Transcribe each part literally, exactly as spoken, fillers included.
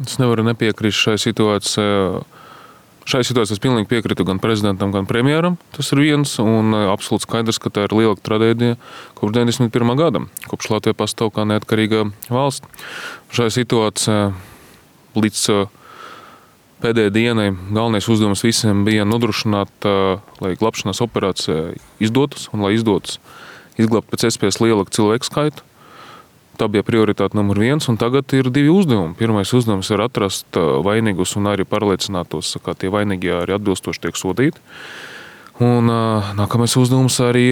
Es nevaru nepiekrist šai situācijai. Šai situācijai es pilnīgi piekrītu gan prezidentam, gan premjeram. Tas ir viens, un absolūti skaidrs, ka tā ir liela traģēdija kopš deviņdesmit pirmā gada, kopš Latvija pastāv kā neatkarīga valsts. Šai situācijai līdz pēdējai dienai galvenais uzdevums visiem bija nodrošināt, lai glābšanas operācija izdotas un lai izdotas izglābt pēc iespējas lielāku cilvēku skaitu. Tā bija prioritāte numur viens, un tagad ir divi uzdevumi. Pirmais uzdevums ir atrast vainīgus un arī pārliecinātos, ka tie vainīgi arī atbilstoši tiek sodīti. Un nākamais uzdevums arī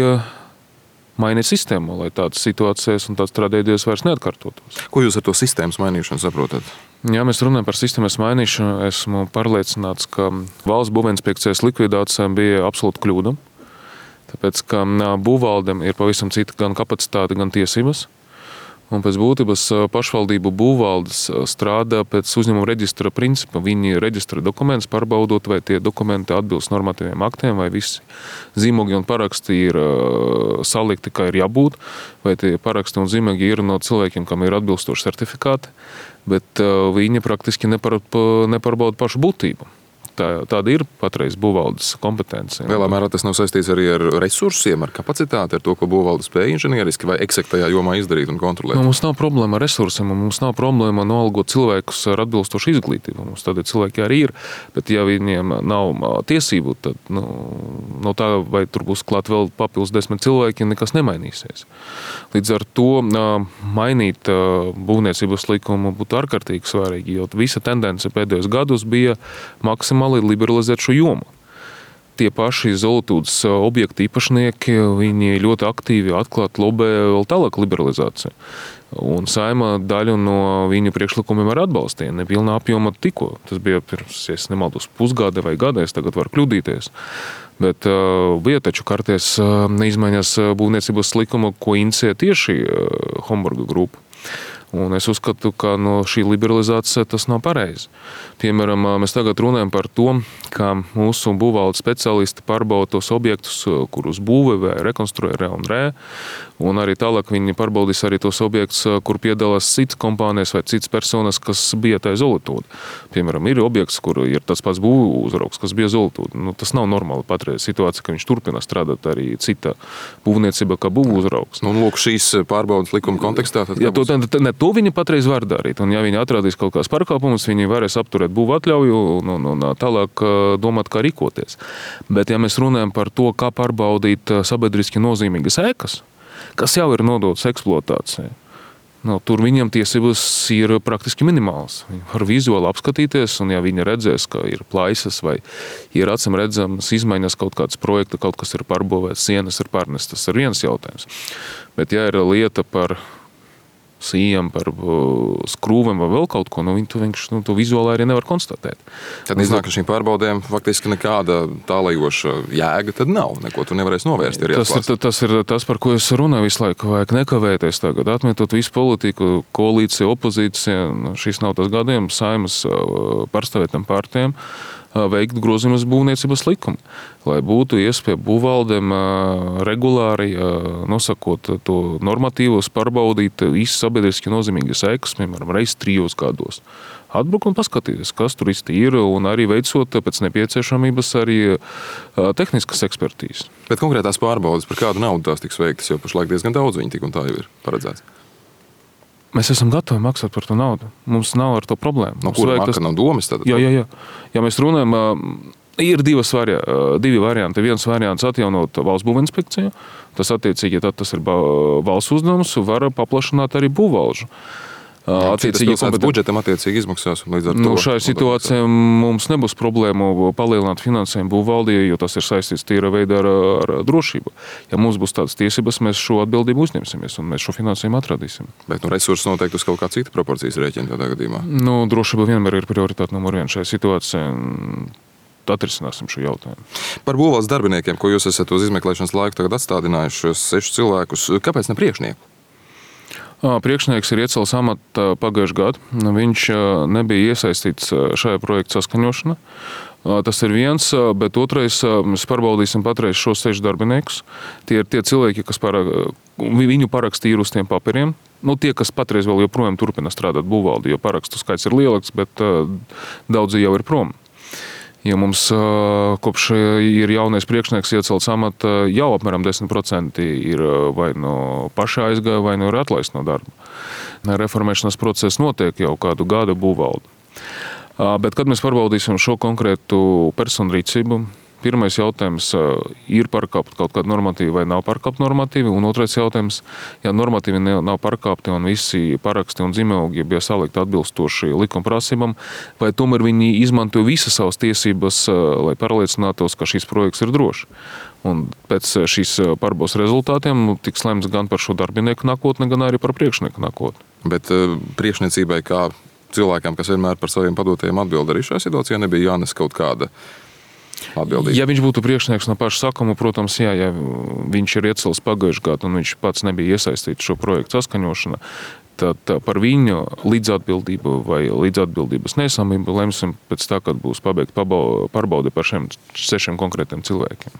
mainīt sistēmu, lai tādas situācijas un tādas traģēdijas vairs neatkārtotos. Ko jūs ar to sistēmas mainīšanu saprotat? Ja mēs runājam par sistēmas mainīšanu, esmu pārliecināts, ka valsts būvinspekcijas likvidācija bija absolūta kļūda. Tāpēc, ka būvvaldēm ir pavisam cita gan kapacitāte, gan tiesības. Un pēc būtības pašvaldību būvvaldes strādā pēc uzņēmuma reģistra principa. Viņi reģistra dokumentus, pārbaudot, vai tie dokumenti atbilst normatīviem aktiem, vai visi zīmogi un paraksti ir salikti, kā ir jābūt, vai tie paraksti un zīmogi ir no cilvēkiem, kam ir atbilstoši certifikāti, bet viņi praktiski nepar, nepārbauda pašu būtību. Tā, tāda ir patreiz būvvaldes kompetence. Lielā mērā tas nav saistīts arī ar resursiem, ar kapacitāti, ar to, ko būvvalde spēja inženieriski vai eksaktajā jomā izdarīt un kontrolēt. Nu, mums nav problēma ar resursiem, un mums nav problēma nolgot cilvēkus ar atbilstošu izglītību. Mums tādi cilvēki arī ir, bet ja viņiem nav tiesību, tad nu, no tā, vai tur būs klāt vēl papildus desmit cilvēki, nekas nemainīsies. Līdz ar to mainīt būvniecības likumu būtu ārkārtīgi svarīgi, jo visa tendence pēdējos gadus bija maksimāli liberalizēt šo jomu. Tie paši Zolitūdes objektu īpašnieki, viņi ļoti aktīvi atklāt lobē vēl tālāk liberalizāciju. Un Saeima daļu no viņu priekšlikumiem ar atbalstīja, nepilnā apjoma tikko. Tas bija pirms, ja es nemaldos, pusgada vai gada, es tagad varu kļūdīties. Bet uh, bija taču karties uh, neizmaiņas būvniecības likuma, ko inicē tieši uh, Homburga grupa. Un es uzskatu, ka no šī liberalizācija tas nav pareizi. Piemēram, mēs tagad runājam par to, ka mūsu būvvaldes speciālisti pārbauda tos objektus, kurus būvē vai rekonstruē re un re, un arī tālāk viņi pārbaudīs arī tos objektus, kur piedalās citas kompānijas vai citas personas, kas bija tā Zolitūde. Piemēram, ir objekts, kur ir tas pats būvu uzraugs, kas bija Zolitūde. Nu, tas nav normāli patreiz situācija, ka viņš turpina strādāt arī cita būvniecība, kā būvu uzraugs. Nu, lūk, šīs pārbaudas likuma kontekstā. Tad ja, to, ne, to viņi patreiz var darīt, un ja viņi atradīs kaut kāds pārkāpumus, viņi varēs apturēt būvu atļauju un, un, un tālāk domāt, kā rīkoties. Bet ja mēs runājam par to, kā pārbaudīt sabiedriski nozīmīgas ēkas, kas jau ir nodotas eksploatācijai, nu, tur viņam tiesības ir praktiski minimāls. Viņi var vizuāli apskatīties, un ja viņi redzēs, ka ir plaisas vai ir acīm redzamas izmaiņas kaut kāds projekta, kaut kas ir pārbūvēts, sienas ir pārnestas, tas ir viens jautājums. Bet ja ir lieta par sījām, par skrūvēm vai vēl kaut ko, nu, viņi to, vienkārši, nu, to vizuāli arī nevar konstatēt. Tad iznāk, ka šīm pārbaudēm faktiski nekāda tālajoša jēga tad nav. Neko tu nevarēsi novērst. Tas ir, tas ir tas, par ko es runāju visu laiku. Vajag nekavēties tagad, atmetot visu politiku, koalīciju, opozīciju. Šis nav tas gadījums Saeimas pārstāvētām partijām veikt grozījumus būvniecības likumu, lai būtu iespēja būvvaldēm regulāri nosakot to normatīvos, pārbaudīt visu sabiedriski nozīmīgas ēkas, piemēram, reiz trijos gados. Atbruk un paskatīties, kas tur īsti ir, un arī veicot pēc nepieciešamības arī tehniskas ekspertīzes. Bet konkrētās pārbaudas, par kādu naudu tās tiks veiktas, jo pašlaik diezgan daudz viņi tik un tā jau ir paredzēts. Mēs esam gatavi maksāt par to naudu. Mums nav ar to problēmu. No kura maka tas... nav domas? Tad, jā, jā, jā. Ja mēs runājam, ir divas vari... divi varianti. Viens variants atjaunot valsts būvinspekciju. Tas attiecīgi, tad tas ir valsts uzdevums, var paplašināt arī būvvalžu. Attiecīgi kompetenti... budžetam attiecīgi izmaksās. Līdz ar nu, to šai situācijā mums nebūs problēmu palielināt finansējumu būvvaldī, jo tas ir saistīts tīra veidā ar, ar drošību. Ja mums būs tādas tiesības, mēs šo atbildību uzņemsimies un mēs šo finansējumu atradīsim. Bet nu, resursi noteikti uz kaut kā cita proporcijas rēķina tādā gadījumā. Nu, drošība vienmēr ir prioritāte numur viens šai situācijai. Atrisināsim šo jautājumu. Par būvvaldes darbiniekiem, ko jūs esat uz izmeklēšanas laiku tagad atstādinājuši šos sešus cilvēkus, kāpēc ne priekšnieku? Priekšnieks ir iecēlis amata pagājušajā gadā. Viņš nebija iesaistīts šajā projekta saskaņošanā. Tas ir viens, bet otrais, mēs pārbaudīsim patreiz šos sešus darbiniekus. Tie ir tie cilvēki, kas parak, viņu parakstīja uz tiem papiriem. Nu, tie, kas patreiz vēl joprojām turpina strādāt būvvaldi, jo parakstu skaits ir lielāks, bet uh, daudzi jau ir prom. Ja mums uh, kopš ir jaunais priekšnieks iecelts amata, jau apmēram desmit procenti ir vai no paša aizgāja, vai no ir atlaist no darba. Reformēšanas process notiek jau kādu gadu būvvaldi. Uh, bet, kad mēs pārbaudīsim šo konkrētu personu rīcību, pirmais jautājums, ir pārkāpt kaut kāda normatīva vai nav pārkāpt normatīvi, un otrais jautājums, ja normatīvi nav pārkāpti un visi paraksti un zīmogi bija salikti atbilstoši likuma prasībām, vai tomēr viņi izmanto visas savas tiesības, lai pārliecinātos, ka šis projekts ir drošs. Un pēc šīs pārbaudas rezultātiem tiks lemts gan par šo darbinieku nākotni, gan arī par priekšnieku nākotni. Bet priekšniecībai kā cilvēkam, kas vienmēr par saviem padotajiem atbild, arī šajā situācijā nebija jānes kaut kāda atbildība. Ja viņš būtu priekšnieks no paša sākuma, protams, jā, ja viņš ir iecels pagājušajā gadā un viņš pats nebija iesaistīts šo projektu saskaņošanā, tad par viņu līdzatbildību vai līdzatbildības nesamību lemsim pēc tā, kad būs pabeigta pārbaude par šiem sešiem konkrētiem cilvēkiem.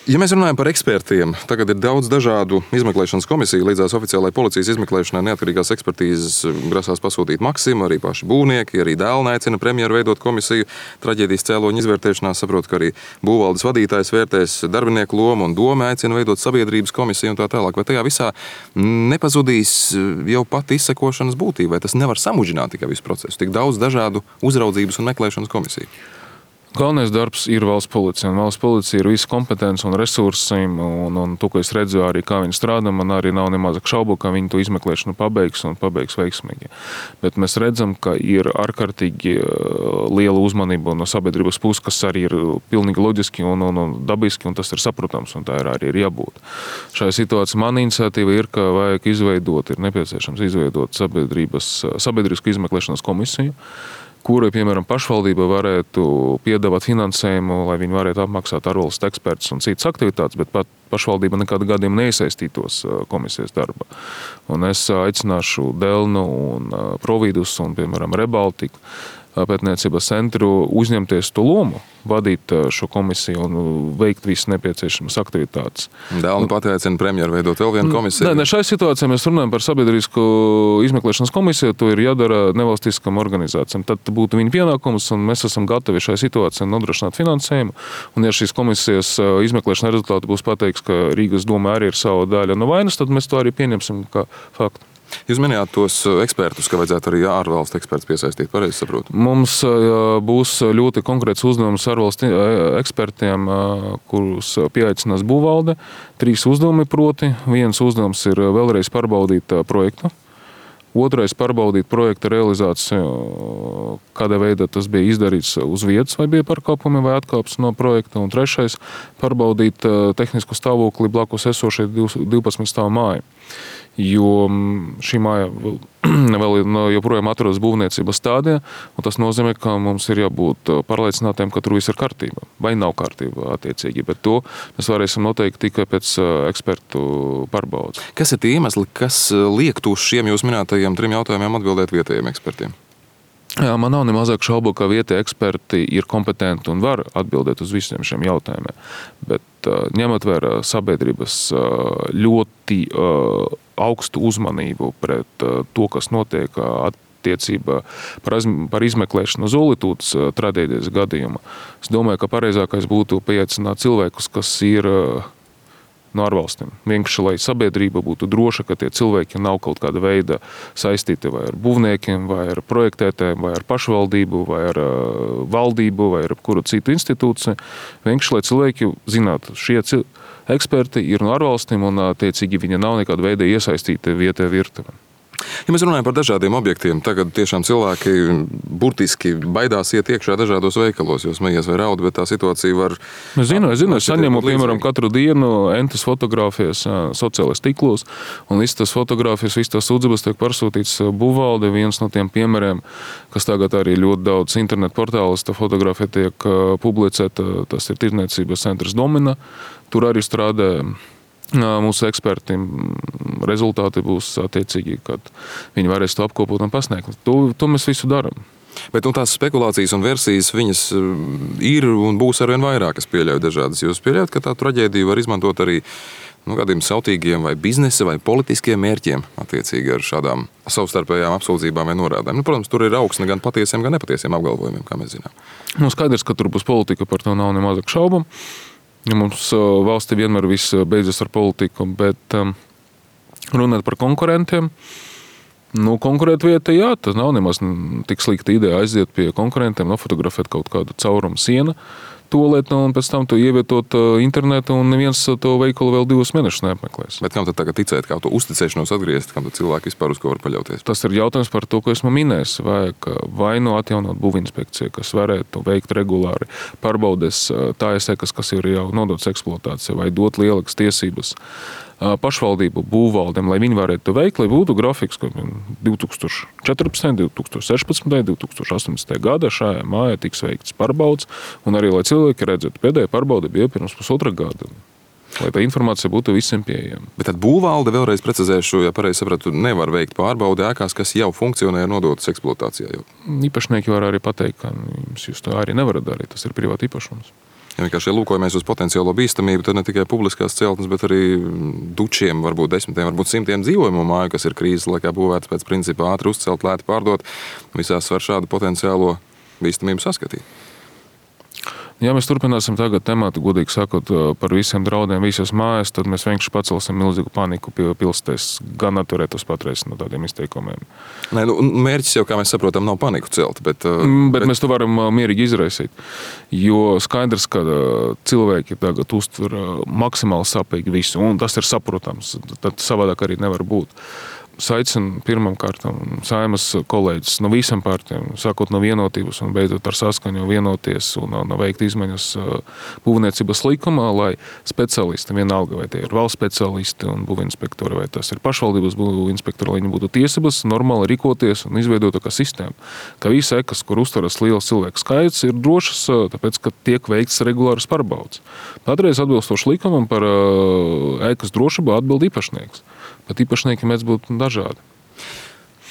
Ja mēs runājam par ekspertiem, tagad ir daudz dažādu izmeklēšanas komisiju. Līdzās oficiālai policijas izmeklēšanai neatkarīgās ekspertīzes grasās pasūtīt Maksima, arī paši būvnieki, arī dēlni aicina premjeru veidot komisiju. Traģēdijas cēloņu izvērtēšanā saprot, ka arī būvvaldes vadītājs vērtēs darbinieku lomu un doma aicina veidot sabiedrības komisiju un tā tālāk. Vai tajā visā nepazudīs jau pati izsekošanas būtība, vai tas nevar samudžināt tikai visu procesu? Tik daudz dažādu uzraudzības un meklēšanas komisiju. Galvenais darbs ir valsts policija, un valsts policija ir visa kompetence un resursi, un, un to, ko es redzu arī, kā viņi strādā, man arī nav nemazāk šaubu, ka viņi to izmeklēšanu pabeigs un pabeigs veiksmīgi. Bet mēs redzam, ka ir ārkārtīgi liela uzmanība no sabiedrības puses, kas arī ir pilnīgi loģiski un, un, un dabiski, un tas ir saprotams, un tā ir arī ir jābūt. Šajā situācijā mana iniciatīva ir, ka vajag izveidot, ir nepieciešams izveidot sabiedrisku izmeklēšanas komisiju, kurai, piemēram, pašvaldība varētu piedāvāt finansējumu, lai viņi varētu apmaksāt ārvalstu ekspertus un citas aktivitātes, bet pat pašvaldība nekādā gadījumā neiesaistītos komisijas darba. Un es aicināšu Delnu un Providus un, piemēram, Rebaltiku pētniecības centru uzņemties to lomu, vadīt šo komisiju un veikt visas nepieciešamas aktivitātes. Dēlni pat aicina premjeru veidot vēl vienu komisiju. Nē, ne, šai situācijā mēs runājam par sabiedrisku izmeklēšanas komisiju, to ir jādara nevalstiskam organizācijām. Tad būtu viņa pienākums, un mēs esam gatavi šai situācijai nodrošināt finansējumu. Un ja šīs komisijas izmeklēšanas rezultāti būs pateiks, ka Rīgas doma arī ir sava daļa no vainas, tad mēs to arī pieņemsim kā faktu. Jūs minējāt tos ekspertus, ka vajadzētu arī ārvalstu ekspertus piesaistīt, pareizi saprotu? Mums būs ļoti konkrēts uzdevums ārvalstu ekspertiem, kurus pieaicinās būvvalde. Trīs uzdevumi proti. Viens uzdevums ir vēlreiz pārbaudīt projektu. Otrais pārbaudīt projekta realizāciju, kādā veidā tas bija izdarīts uz vietas, vai bija pārkāpumi vai atkāpes no projekta. Un trešais pārbaudīt tehnisku stāvokli blakus esošai divpadsmit stāvu māju. Jo šī māja vēl joprojām atrodas būvniecības stādijā, un tas nozīmē, ka mums ir jābūt pārliecinātiem, ka tur viss ir kārtība, vai nav kārtība attiecīgi, bet to mēs varēsim noteikt tikai pēc ekspertu pārbaudes. Kas ir tie iemesli, kas liektu uz šiem jūs minētajiem trim jautājumiem atbildēt vietējiem ekspertiem? Jā, man nav nemazāk šaubu, ka vietējie eksperti ir kompetenti un var atbildēt uz visiem šiem jautājumiem. Bet ņemot vērā sabiedrības ļoti augstu uzmanību pret to, kas notiek attiecībā par izmeklēšanu Zolitūdas traģēdijas gadījumā, es domāju, ka pareizākais būtu pieaicināt cilvēkus, kas ir no ārvalstīm. Vienkārši, lai sabiedrība būtu droša, ka tie cilvēki nav kaut kāda veida saistīti vai ar būvniekiem, vai ar projektētēm, vai ar pašvaldību, vai ar valdību, vai ar kuru citu institūciju. Vienkārši, lai cilvēki zinātu, šie eksperti ir no ārvalstīm un, attiecīgi, viņi nav nekāda veida iesaistīti vietējā virtuvē. Ja mēs runājam par dažādiem objektiem, tagad tiešām cilvēki burtiski baidās iet iekšā dažādos veikalos, jo smējies vai raud, bet tā situācija var... Es zinu, es zinu, es saņemu, piemēram, katru dienu entas fotogrāfijas sociālais tīklos, un visas tas fotogrāfijas, visas tas sūdzības tiek pārsūtīts būvvalde. Viens no tiem piemēriem, kas tagad arī ļoti daudz internetu portālos, tā fotogrāfija tiek publicēta, tas ir tirdzniecības centrs Domina. Tur arī strādā mūsu eksperti. Rezultāti būs attiecīgi, kad viņi varēs to apkopot un pasniegt. To, to mēs visu darām. Bet nu, tās spekulācijas un versijas, viņas ir un būs arvien vairāk, es pieļauju dažādas. Jūs pieļaujat, ka tā traģēdija var izmantot arī nu, kādiem sautīgiem vai biznesa vai politiskiem mērķiem attiecīgi ar šādām savstarpējām apsūdzībām vai norādēm. Nu, protams, tur ir augsne gan patiesiem, gan nepatiesiem apgalvojumiem, kā mēs zinām. Nu, skaidrs, ka tur būs politika, par to nav nemazāk šaubu. Mums valstī vienmēr viss beidzas ar politiku, bet um, runāt par konkurentiem. Nu, konkurēt vieta, jā, tas nav nemaz tik slikta ideja aiziet pie konkurentiem, nofotografēt kaut kādu caurumu sienu, tolēt, un pēc tam to ievietot internetu, un neviens to veikalu vēl divus mēnešus neapmeklēs. Bet kam tad tagad ticēt, kā to uzticēšanos atgriezt, kam tad cilvēki vispār uz ko var paļauties? Tas ir jautājums par to, ko esmu minējis. Vajag vai nu atjaunot būvinspekciju, kas varētu veikt regulāri pārbaudes tājas ekas, kas ir jau nodotas eksploatācijai, vai dot lielākas tiesības pašvaldību būvvaldēm, lai viņi varētu to veikt, lai būtu grafiks, ka divi tūkstoši četrpadsmitajā, divi tūkstoši sešpadsmitajā, divi tūkstoši astoņpadsmitajā gadā šajā mājā tiks veikts pārbaudes, un arī, lai cilvēki redzētu, pēdējā pārbaude bija pirms pusotra gada, lai tā informācija būtu visiem pieejama. Bet tad būvvalde, vēlreiz precizēšu, ja pareizi sapratu, nevar veikt pārbaudi ēkās, kas jau funkcionē un nodotas eksploatācijā. Jau. Īpašnieki var arī pateikt, ka jums jūs to arī nevarat darīt, tas ir privāti īpašums. Ja vienkārši lūkojamies uz potenciālo bīstamību, tad ne tikai publiskās celtnes, bet arī dučiem, varbūt desmitiem, varbūt simtiem dzīvojumu māju, kas ir krīzes laikā būvētas pēc principa ātri uzcelt, lēti pārdot, visās var šādu potenciālo bīstamību saskatīt. Ja mēs turpināsim tagad tematu, godīgi sakot, par visiem draudiem, visas mājas, tad mēs vienkārši pacelsim milzīgu paniku pie pilsētas, gan atturētos patreiz no tādiem izteikumiem. Nē, nu, mērķis jau, kā mēs saprotam, nav paniku celt, bet... Bet, bet bet... mēs to varam mierīgi izraisīt, jo skaidrs, ka cilvēki tagad uztver maksimāli sapīgi visu, un tas ir saprotams, tad savādāk arī nevar būt. Saicinu pirmam kārtam Saeimas kolēģis no visam partijām, sākot no vienotības un beidzot ar saskaņu vienoties un, un veikt izmaiņas būvniecības likumā, lai speciālisti, vienalga vai tie ir valsts speciālisti un būvinspektori, vai tas ir pašvaldības būvinspektori, lai viņi būtu tiesības normāli rīkoties un izveidot kā sistēmu. Ka visi ekas, kur uztveras liels cilvēku skaits, ir drošas, tāpēc, ka tiek veikts regulāras pārbaudes. Patreiz atbilstoši likumam par ekas drošību atbild īpašnieks. Bet īpašnieki mēs būtu dažādi.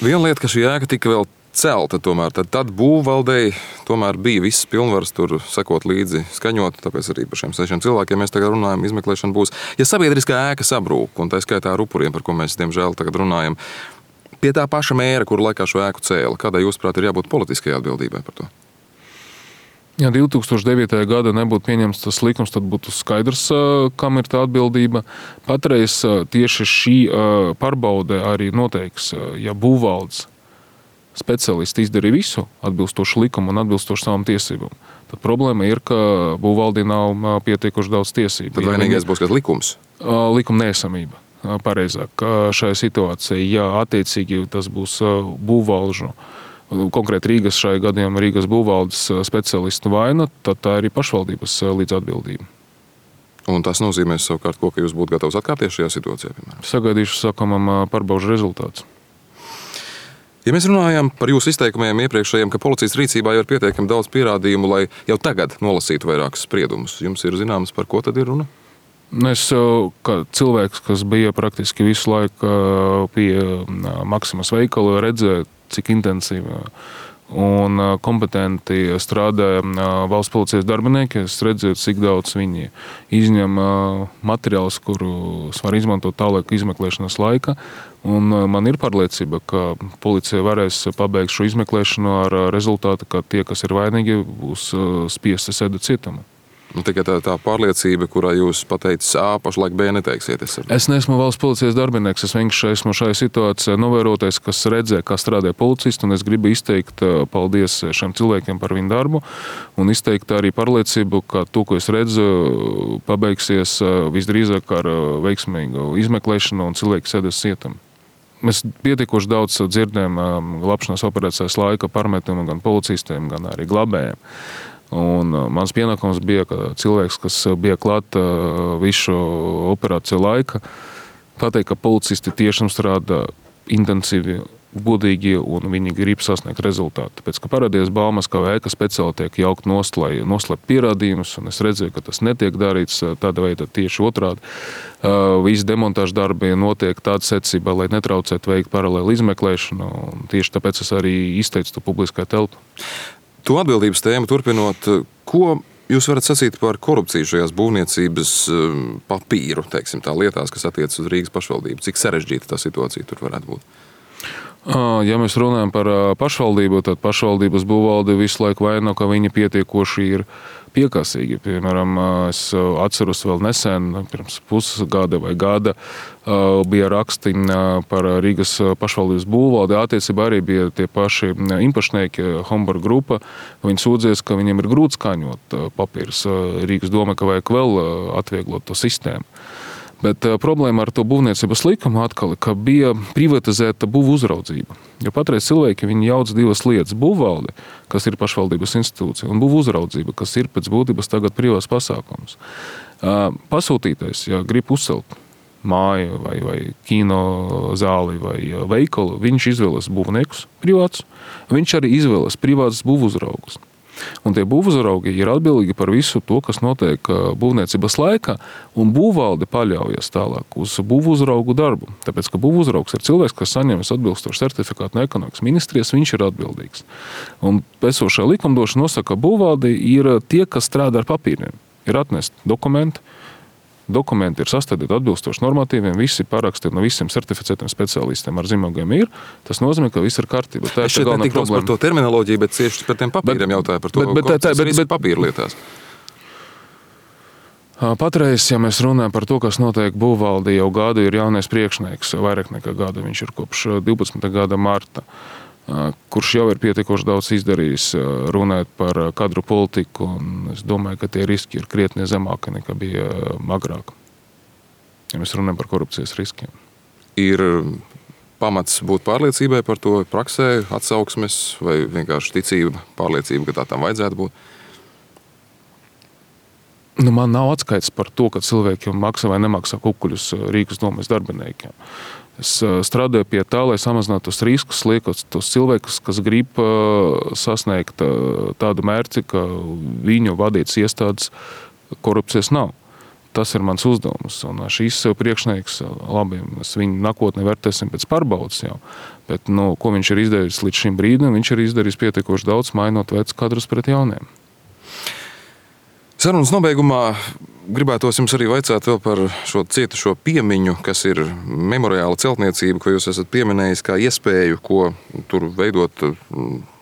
Viena lieta, ka šī ēka tika vēl celta tomēr, tad, tad būvvaldei tomēr bija viss pilnvars tur sekot līdzi, skaņot, tāpēc arī par šiem sešiem cilvēkiem mēs tagad runājam, izmeklēšana būs. Ja sabiedriskā ēka sabrūk, un tā skaitā ar upuriem, par ko mēs diemžēl tagad runājam, pie tā paša mēra, kur laikā šo ēku cēla, kādai jūsuprāt ir jābūt politiskajai atbildībai par to? Ja divi tūkstoši devītajā gadā nebūtu pieņemts tas likums, tad būtu skaidrs, kam ir tā atbildība. Patreiz tieši šī pārbaude arī noteiks, ja būvvaldes speciālisti izdarīja visu atbilstoši likumu un atbilstoši savām tiesībām. Tad problēma ir, ka būvvaldī nav pietiekuši daudz tiesību. Tad vainīgais būs kāds likums? Likuma neesamība, pareizāk. Šajā situācijā, ja attiecīgi tas būs būvvaldžu, konkrēti Rīgas šajā gadījumā Rīgas būvvaldes speciālistu vaina, tad tā ir pašvaldības līdz atbildība. Un tas nozīmē savukārt, ko, ka jūs būtu gatavs atkāpties šajā situācijā, piemēram? Sagaidīšu sakamam pārbaužu rezultāts. Ja mēs runājam par jūsu izteikumiem iepriekšējiem, ka policijas rīcībā jau ir pietiekami daudz pierādījumu, lai jau tagad nolasītu vairākus spriedumus, jums ir zināms, par ko tad ir runa? Es, kā cilvēks, kas bija praktiski visu laiku pie Maksimas veikala, redzēju, cik intensīvi un kompetenti strādāja valsts policijas darbinieki. Es redzēju, cik daudz viņi izņem materiālus, kurus var izmantot tālāk izmeklēšanas laika. Un man ir pārliecība, ka policija varēs pabeigt šo izmeklēšanu ar rezultātu, ka tie, kas ir vainīgi, būs spiesti sēdēt cietumā. Nu, tikai tā, tā pārliecība, kurā jūs pateicis A, pašlaik B neteiksiet. Es, es neesmu valsts policijas darbinieks, es vienkārši esmu šajā situācijā novērotais, kas redzē, kā strādā policisti, un es gribu izteikt paldies šiem cilvēkiem par viņu darbu, un izteikt arī pārliecību, ka to, ko es redzu, pabeigsies visdrīzāk ar veiksmīgu izmeklēšanu, un cilvēki sēdēs cietumā. Mēs pietiekoši daudz dzirdējām glābšanas operācijas laika pārmetumu gan policistiem, gan arī glābējiem. Un mans pienākums bija, ka cilvēks, kas bija klāt visu operāciju laika, pateikt, ka policisti tiešām strādā intensīvi, godīgi un viņi grib sasniegt rezultātu. Tāpēc, ka parādījās baumas, ka ēka speciāli tiek jaukt nost, lai noslēpt pierādījumus, un es redzēju, ka tas netiek darīts tāda veida tieši otrādi. Visi demontāžu darbi notiek tāda secībā, lai netraucētu veikt paralēli izmeklēšanu, un tieši tāpēc es arī izteicu to publiskā telpu. To atbildības tēmu turpinot, ko jūs varat sacīt par korupciju šajās būvniecības papīru, teiksim, tā lietās, kas attiecas uz Rīgas pašvaldību? Cik sarežģīta tā situācija tur varētu būt? Ja mēs runājam par pašvaldību, tad pašvaldības būvvalde visu laiku vaino, ka viņi pietiekoši ir piekasīgi. Piemēram, es atceros vēl nesen, pirms pusgada vai gada, bija raksti par Rīgas pašvaldības būvvaldi. Attiecībā arī bija tie paši īpašnieki, Homburg grupa. Viņi sūdzies, ka viņiem ir grūti skaņot papīrus. Rīgas doma, ka vajag vēl atvieglot to sistēmu. Bet problēma ar to būvniecības likumu atkal, ka bija privatizēta būvu uzraudzība. Jo patreiz cilvēki viņi jauc divas lietas - būvvaldi, kas ir pašvaldības institūcija, un būvu uzraudzība, kas ir pēc būtības tagad privāts pasākums. Pasūtītais, ja grib uzcelt māju vai, vai kino zāli vai veikalu, viņš izvēlas būvniekus privāts, viņš arī izvēlas privātus būvu uzraugus. Un tie būvuzraugi ir atbildīgi par visu to, kas notiek būvniecības laikā, un būvvalde paļaujas tālāk uz būvuzraugu darbu. Tāpēc, ka būvuzraugs ir cilvēks, kas saņems atbilstošu certifikātu no ekonomikas ministrijas, viņš ir atbildīgs. Un esošā likumdošana nosaka, ka būvvalde ir tie, kas strādā ar papīriem. Ir atnest dokumenti, dokumenti ir sastādīti atbilstoši normatīviem, visi parakstīti no visiem certificētiem speciālistiem ar zīmogiem ir. Tas nozīmē, ka viss ir kārtībā. Tā es šeit ne tik daudz par to terminoloģiju, bet cieši par tiem papīriem jautāju par to, bet, bet, tā, bet, bet, papīra lietās. Patreiz, ja mēs runājam par to, kas notiek būvvaldī, jau gadu ir jaunais priekšnieks, vairāk nekā gadu, viņš ir kopš divpadsmitā gada marta, kurš jau ir pietiekoši daudz izdarījis runāt par kadru politiku, un es domāju, ka tie riski ir krietni zemāki nekā bija agrāk, ja mēs runājam par korupcijas riskiem. Ir pamats būt pārliecībai par to praksē, atsauksmes vai vienkārši ticība, pārliecība, ka tā tam vajadzētu būt? Nu, man nav atskaits par to, ka cilvēki maksā vai nemaksā kukuļus Rīgas domas darbiniekiem. Es strādāju pie tā, lai samazinātu tos riskus, liekot tos cilvēkus, kas grib sasniegt tādu mērķi, ka viņu vadītas iestādes korupcijas nav. Tas ir mans uzdevums. Un šīs priekšnieks, labi, mēs viņu nākotnē vērtēsim pēc pārbaudas jau, bet nu, ko viņš ir izdarījis līdz šim brīdim, viņš ir izdarījis pietiekoši daudz, mainot vecus kadrus pret jauniem. Sarunas nobeigumā gribētos jums arī vaicāt vēl par šo cietušo piemiņu, kas ir memoriāla celtniecība, ko jūs esat pieminējis kā iespēju, ko tur veidot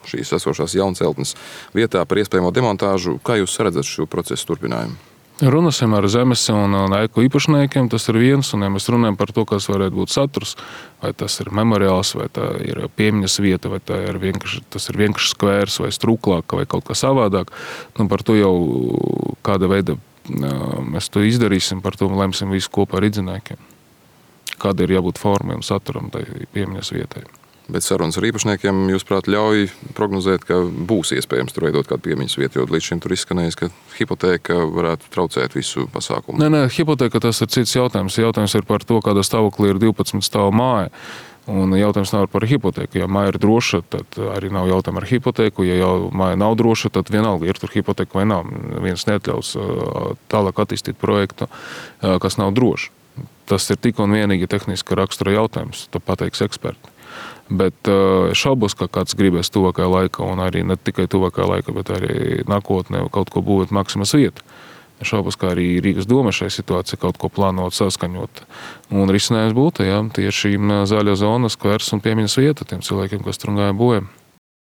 šīs esošās jaunceltnes vietā par iespējamo demontāžu. Kā jūs redzat šo procesu turpinājumu? Runāsim ar zemes un ēku īpašniekiem, tas ir viens, un ja mēs runājam par to, kas varētu būt saturs, vai tas ir memoriāls, vai tā ir piemiņas vieta, vai tā ir vienkārši, tas ir vienkārši skvērs, vai struklāk, vai kaut kā savādāk, nu par to jau kāda veida mēs to izdarīsim, par to lemsim visu kopā ar idziniekiem. Kāda ir jābūt formai un saturam tai piemiņas vietai. Bet sarunas ar īpašniekiem, jūsuprāt, ļauj prognozēt, ka būs iespējams tur veidot kādu piemiņas vietu, jo līdz šim tur izskanējis, ka hipotēka varētu traucēt visu pasākumu. Nē, nē, hipotēka tas ir cits jautājums. Jautājums ir par to, kādā stāvoklī ir divpadsmit stāvu māja. Un jautājums nav par hipotēku. Ja māja ir droša, tad arī nav jautājumu ar hipotēku. Ja jau māja nav droša, tad vienalga ir tur hipotēka vai nav. Viens neatļaus tālāk attīstīt projektu, kas nav drošs. Tas ir tik un vienīgi tehniska rakstura jautājums, to pateiks eksperti. Bet šaubos, ka kāds gribēs tuvākajā laikā, un arī ne tikai tuvākajā laikā, bet arī nākotnē kaut ko būvēt Maksimas vietu. Šaubos, ka arī Rīgas doma šai situācijai kaut ko plānot, saskaņot. Un risinājums būtu, jā, tieši zaļa zona, skvers un piemiņas vieta tiem cilvēkiem, kas tur gāja bojā.